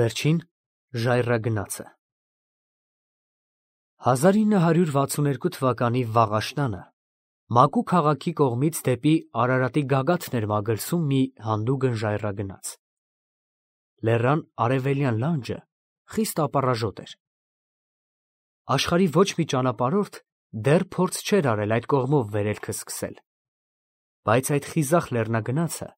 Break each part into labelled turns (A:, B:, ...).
A: Վերջին ժայռագնացը 1962 թվականի վաղաշնանը Մակու քաղաքի կողմից դեպի Արարատի գագաթն էր մագլցում մի հանդուգն ժայռագնաց։ Լեռան արևելյան լանջը խիստ ապառաժոտ էր։ Աշխարհի ոչ մի ճանապարհորդ դեռ փորձ չէր արել այդ կողմով վերելքը սկսել, բայց այդ խիզախ լեռնագնացը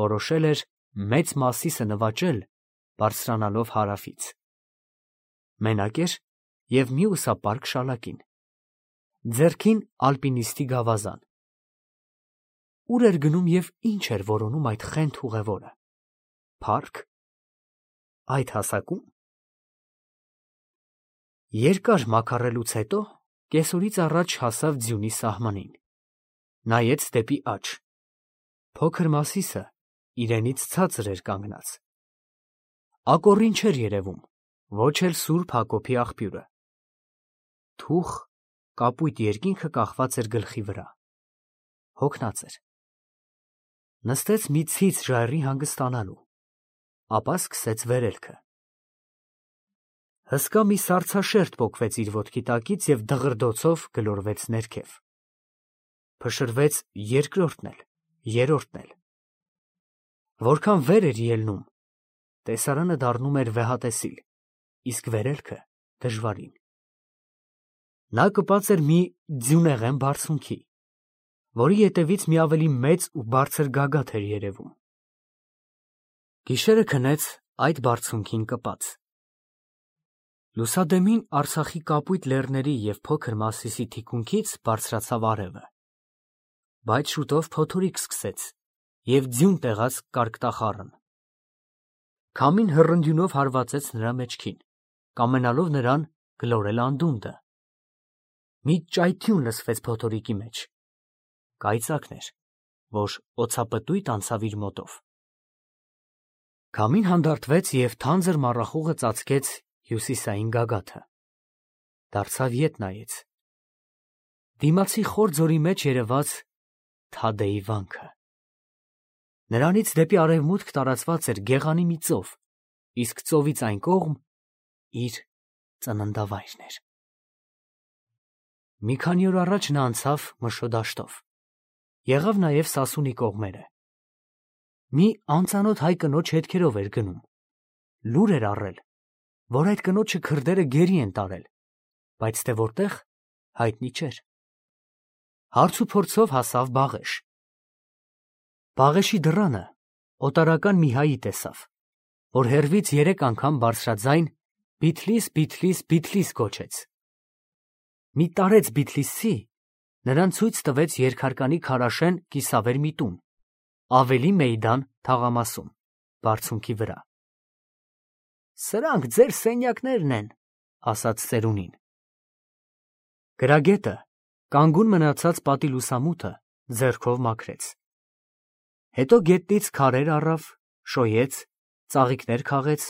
A: որոշել էր մեծ Մասիսը նվաճել, բարձրանալով հարավից։ Մենակ էր և մյուսապարկ շալակին, ձեռքին ալպինիստի գավազան։ Ուր էր գնում և ինչ էր որոնում այդ խենթ ուղևորը, փառք, այդ հասակում։ Երկար մաքարելուց հետո կեսօրից առաջ հասավ ձյունի սահմանին, նայեց դեպի աջ, փոքր Մասիսը իրենից ցածր էր կանգնած։ Ակոռին չէր երևում, ոչ էլ Սուրբ Հակոբի աղբյուրը։ Թուխ կապույտ երկինքը կախված էր գլխի վրա, հոգնած էր։ Նստեց մի ցից ժայռի հանգստանալու, ապա սկսեց վերելքը։ Հսկա մի սառցաշերտ պոկվեց իր ոտքի տակից և դղրդոցով գլորվեց ներքև։ Փշրվեց երկրորդն էլ, երրորդն էլ։ Որքան վեր էր ելնում, տեսարանը դառնում էր վեհատեսիլ, իսկ վերելքը դժվարին։ Նա կպած էր մի ձյունեղեն բարձունքի, որի ետևից մի ավելի մեծ ու բարձր գագաթ էր երևում։ Գիշերը քնեց այդ բարձունքին կպած։ Լուսադեմին Արցախի կապույտ լեռների և փոքր Մասիսի թիկունքից բարձրացավ արևը, բայց շուտով փոթորիկ սկսեց և ձյուն տեղաց կարկտախառն։ Քամին հռնդյունով հարվածեց նրա մեջքին, կամենալով նրան գլորել անդունդը։ Մի ճայթյուն լսվեց փոթորիկի մեջ, կայծակն էր, որ օձապտույտ անցավ իր մոտով։ Քամին հանդարտվեց և թանձր մառախուղը ծածկեց հյուսիսային գագաթը, դարձավ ետ նայեց։ Դիմացի խոր ձորի մեջ երևաց Թադեի վանքը։ Նրանից դեպի արևմուտք տարածված էր գեղանի մի ծով, իսկ ծովից այն կողմ իր ծննդավայրն էր։ Մի քանի օր առաջ նա անցավ Մշո դաշտով, եղավ նաև Սասունի կողմերը։ Մի անծանոթ հայ կնոջ հետքերով էր գնում, լուր էր առել, որ այդ կնոջը քրդերը գերի են տարել, բայց թե որտեղ, հայտնի չէր։ Հարց ու փորձով հասավ Բաղեշ։ Բաղեշի դռանը օտարական մի հայի տեսավ, որ հեռվից 3 անգամ բարձրաձայն Բիթլիս, Բիթլիս, Բիթլիս գոչեց։ Մի տարեց Բիթլիսցի նրան ցույց տվեց երկհարկանի քարաշեն կիսավեր մի տուն, ավելի մեյդան թաղամասում, բարձունքի վրա։ Սրանք ձեր սենյակներն են, ասաց ծերունին։ Գրագետը կանգուն մնացած պատի լուսամուտը ձեռքով մաքրեց։ Հետո գետնից քարեր առավ, շոյեց, ծաղիկներ քաղեց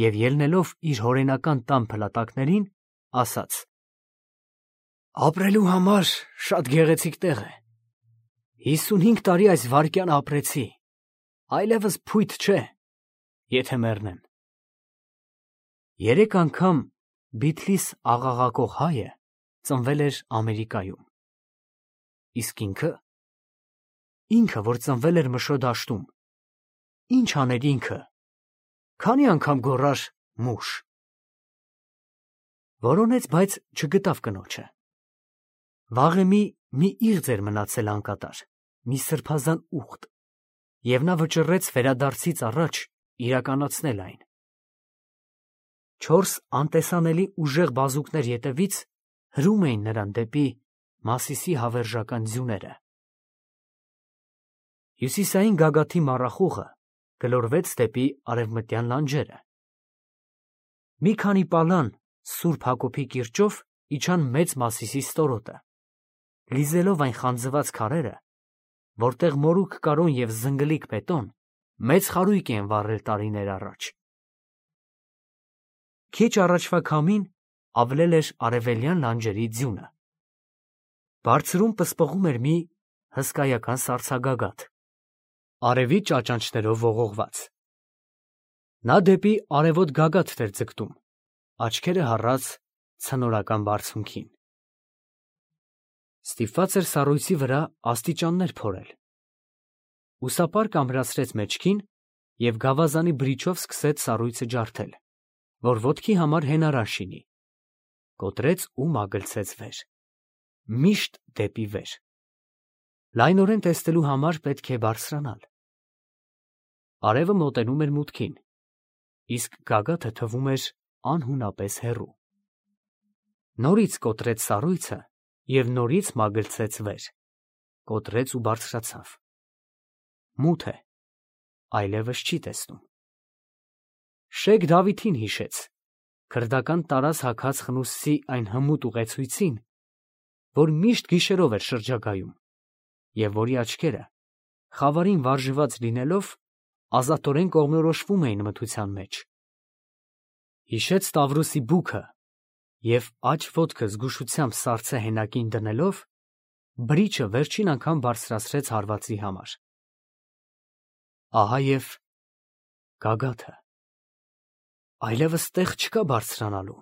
A: և ելնելով իր հորենական տան փլատակներին, ասաց. Ապրելու համար շատ գեղեցիկ տեղ է։ 55 տարի այս վայրկյան ապրեցի, այլևս փույթ չէ, եթե մեռնեմ։ 3 անգամ Բիթլիս աղաղակող հայը ծնվել էր Ամերիկայում։ Իսկ ինքը, որ ծնվել էր Մշո դաշտում, ինչ աներ ինքը, քանի անգամ գոռար մուշ։ Որոնեց, բայց չգտավ կնոջը։ Վաղեմի մի իղձ էր մնացել անկատար, մի սրբազան ուղտ, և նա վճռեց վերադարձից առաջ իրականացնել այն։ 4 անտեսանելի ուժեղ բազուկներ ետևից հրում էին նրան դեպի Մասիսի հավերժական ձյուները։ Հյուսիսային գագաթի մառախուղը գլորվեց դեպի արևմտյան լանջերը։ Մի քանի պալան Սուրբ Հակոբի կիրճով իջան մեծ Մասիսի ստորոտը, լիզելով այն խանձված քարերը, որտեղ մորուք կարոն և զնգլիկ բետոն մեծ խարույկ են վառել տարիներ առաջ։ Քիչ առաջվա քամին ավլել էր արևելյան լանջերի ձյունը։ Բարձրում պսպղում էր մի հսկայական սառցագագաթ, արևի ճաճանճներով ողողված։ Նա դեպի արևոտ գագաթ էր ձգտում, աչքերը հառած ցնորական բարձունքին։ Ստիպված էր սառույցի վրա աստիճաններ փորել։ Ուսապարկը ամրացրեց մեջքին և գավազանի բրիչով սկսեց սառույցը ջարդել, որ ոտքի համար հենարան շինի, կոտրեց ու մագլցեց վեր, միշտ դեպի վեր։ Լայնորեն տեսնելու համար պետք է բարձրանալ։ Արևը մոտենում էր մուտքին, իսկ գագաթը թվում էր անհունապես հեռու։ Նորից կոտրեց սառույցը և նորից մագլցեց վեր, կոտրեց ու բարձրացավ։ Մութ է, այլևս չի տեսնում։ Շեյխ Դավիթին հիշեց, քրդական տարազ հագած խնուսցի այն հմուտ ուղեցույցին, որ միշտ գիշերով էր շրջագայում, և որի աչքերը, խավարին վարժված լինելով, ազատորեն կողմնորոշվում էին մթության մեջ։ Հիշեց Տավրոսի բուքը և աջ ոտքը զգուշությամբ սառցե հենակին դնելով, բրիչը վերջին անգամ բարձրացրեց հարվածի համար։ Ահա և գագաթը։ Այլևս տեղ չկա բարձրանալու։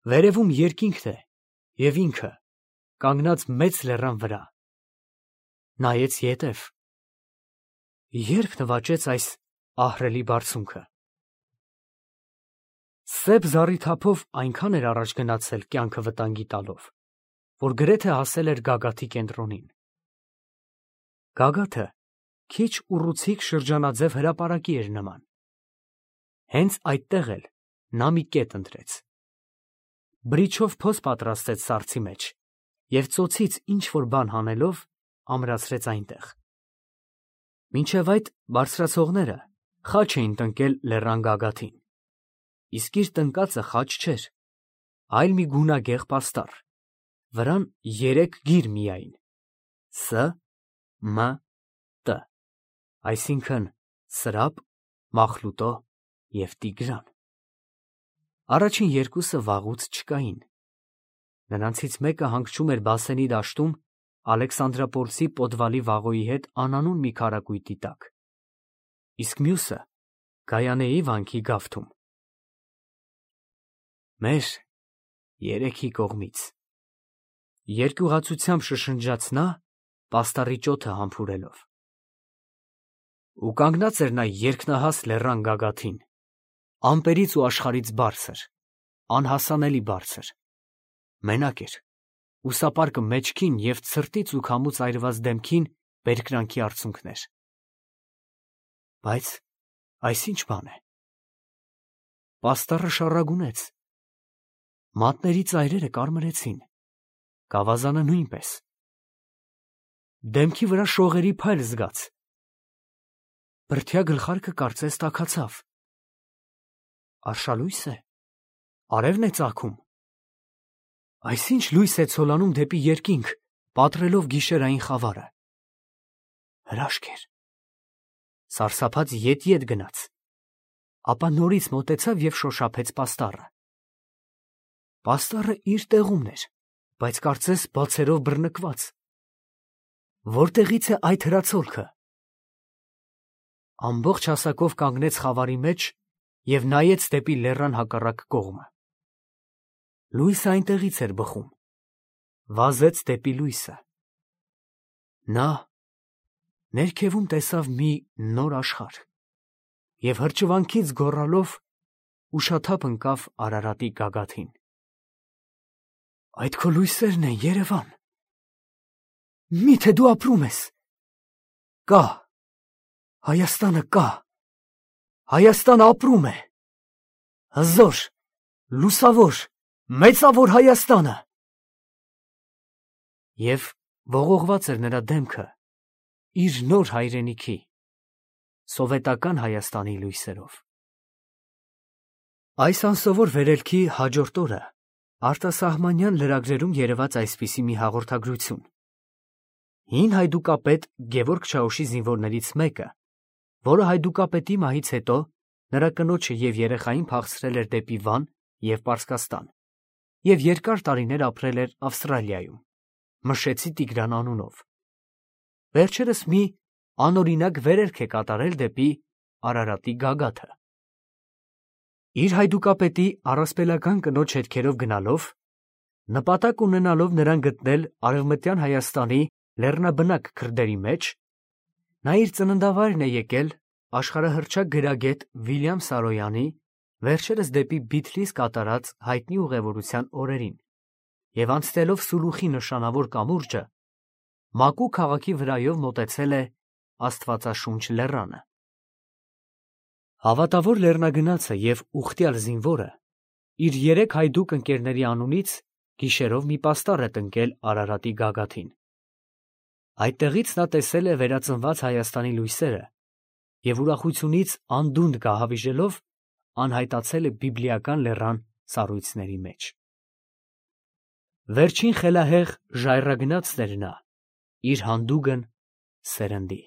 A: Վերևում երկինքն է և ինքը, կանգնած մեծ լեռան վրա։ Նայեց ետև։ Ե՞րբ նվաճեց այս ահռելի բարձունքը։ Սև զառիթափով այնքան էր առաջ գնացել կյանքը վտանգի տալով, որ գրեթե հասել էր գագաթի կենտրոնին։ Գագաթը քիչ ուռուցիկ շրջանաձև հրապարակի էր նման։ Հենց այդտեղ էլ նա մի կետ ընտրեց։ Բրիչով փոս պատրաստեց սառցի մեջ և ծոցից ինչ֊որ բան հանելով ամրացրեց այնտեղ։ Մինչև այդ բարձրացողները խաչ էին տնկել լեռան գագաթին, իսկ իր տնկածը խաչ չէր, այլ մի գունագեղ պաստառ, վրան 3 գիր միայն՝ Ս, Մ, Տ, այսինքն՝ Սրափ, Մախլուտո և Տիգրան։ Առաջին երկուսը վաղուց չկային։ Նրանցից մեկը հանգչում էր Բասենի դաշտում Ալեքսանդրապոլսի պոդվալի վաղոյի հետ անանուն մի քարակույտի տակ, իսկ մյուսը Գայանեի վանքի գավթում։ Մեր երեքի կողմից, երկյուղացությամբ շշնջաց նա, պաստառի ճոթը համբուրելով։ Ու կանգնած էր նա երկնահաս լեռան գագաթին, ամպերից ու աշխարհից բարձր, անհասանելի բարձր, մենակ էր, ուսապարկը մեջքին և ցրտից ու քամուց այրված դեմքին բերկրանքի արցունքներ։ Բայց այս ի՞նչ բան է։ Պաստառը շառագունեց, մատների ծայրերը կարմրեցին, գավազանը նույնպես։ Դեմքի վրա շողերի փայլ զգաց։ Բրդյա գլխարկը կարծես տաքացավ։ Արշալույս է, արևն է ծագում։ Այսինչ լույս է ցոլանում դեպի երկինք, պատռելով գիշերային խավարը։ Հրաշք էր։ Սարսափած ետ գնաց, ապա նորից մոտեցավ և շոշափեց պաստառը։ Պաստառը իր տեղումն էր, բայց կարծես բացերով բռնկված։ Որտեղից է այդ հրացոլքը։ Ամբողջ հասակով կանգնեց խավարի մեջ և նայեց դեպի լեռան հակառակ կողմը։ Լույսը այնտեղից էր բխում, վազեց դեպի լույսը։ Նա ներքևում տեսավ մի նոր աշխարհ և հրճվանքից գոռալով ուշաթափ ընկավ Արարատի գագաթին։ Այդ քո լույսերն են, Երևան։ Միթե դու ապրում ես։ Կա, Հայաստանը կա, Հայաստանը ապրում է։ Հզոր, լուսավոր, մեծավոր Հայաստանը։ Եվ ողողված էր նրա դեմքը իր նոր հայրենիքի, սովետական Հայաստանի լույսերով։ Այս անսովոր վերելքի հաջորդ օրը արտասահմանյան լրագրերում երևաց այսպիսի մի հաղորդագրություն. հին հայդուկապետ Գևորգ Չաուշի զինվորներից մեկը, որը հայդուկապետի մահից հետո նրա կնոջը և երեխային փախցրել էր դեպի Վան և Պարսկաստան և երկար տարիներ ապրել էր Ավստրալիայում, Մշեցի Տիգրան անունով, վերջերս մի անօրինակ վերելք է կատարել դեպի Արարատի գագաթը։ Իր հայդուկապետի առասպելական կնոջ հետքերով գնալով, նպատակ ունենալով նրան գտնել Արևմտյան Հայաստանի լեռնաբնակ քրդերի մեջ, նա իր ծննդավայրն է եկել աշխարհահռչակ գրագետ Վիլյամ Սարոյանի վերջերս դեպի Բիթլիս կատարած հայտնի ուղևորության օրերին և անցնելով Սուլուխի նշանավոր կամուրջը, Մակու քաղաքի վրայով մոտեցել է Աստվածաշունչ լեռանը։ Հավատավոր լեռնագնացը և ուխտյալ զինվորը իր 3 հայդուկ ընկերների անունից գիշերով մի պաստառ է տնկել Արարատի գագաթին։ Այդտեղից նա տեսել է վերածնված Հայաստանի լույսերը և ուրախությունից անդունդը գահավիժելով անհայտացել է բիբլիական լեռան սառույցների մեջ։ Վերջին խելահեղ ժայռագնացն էր նա իր հանդուգն սերնդի։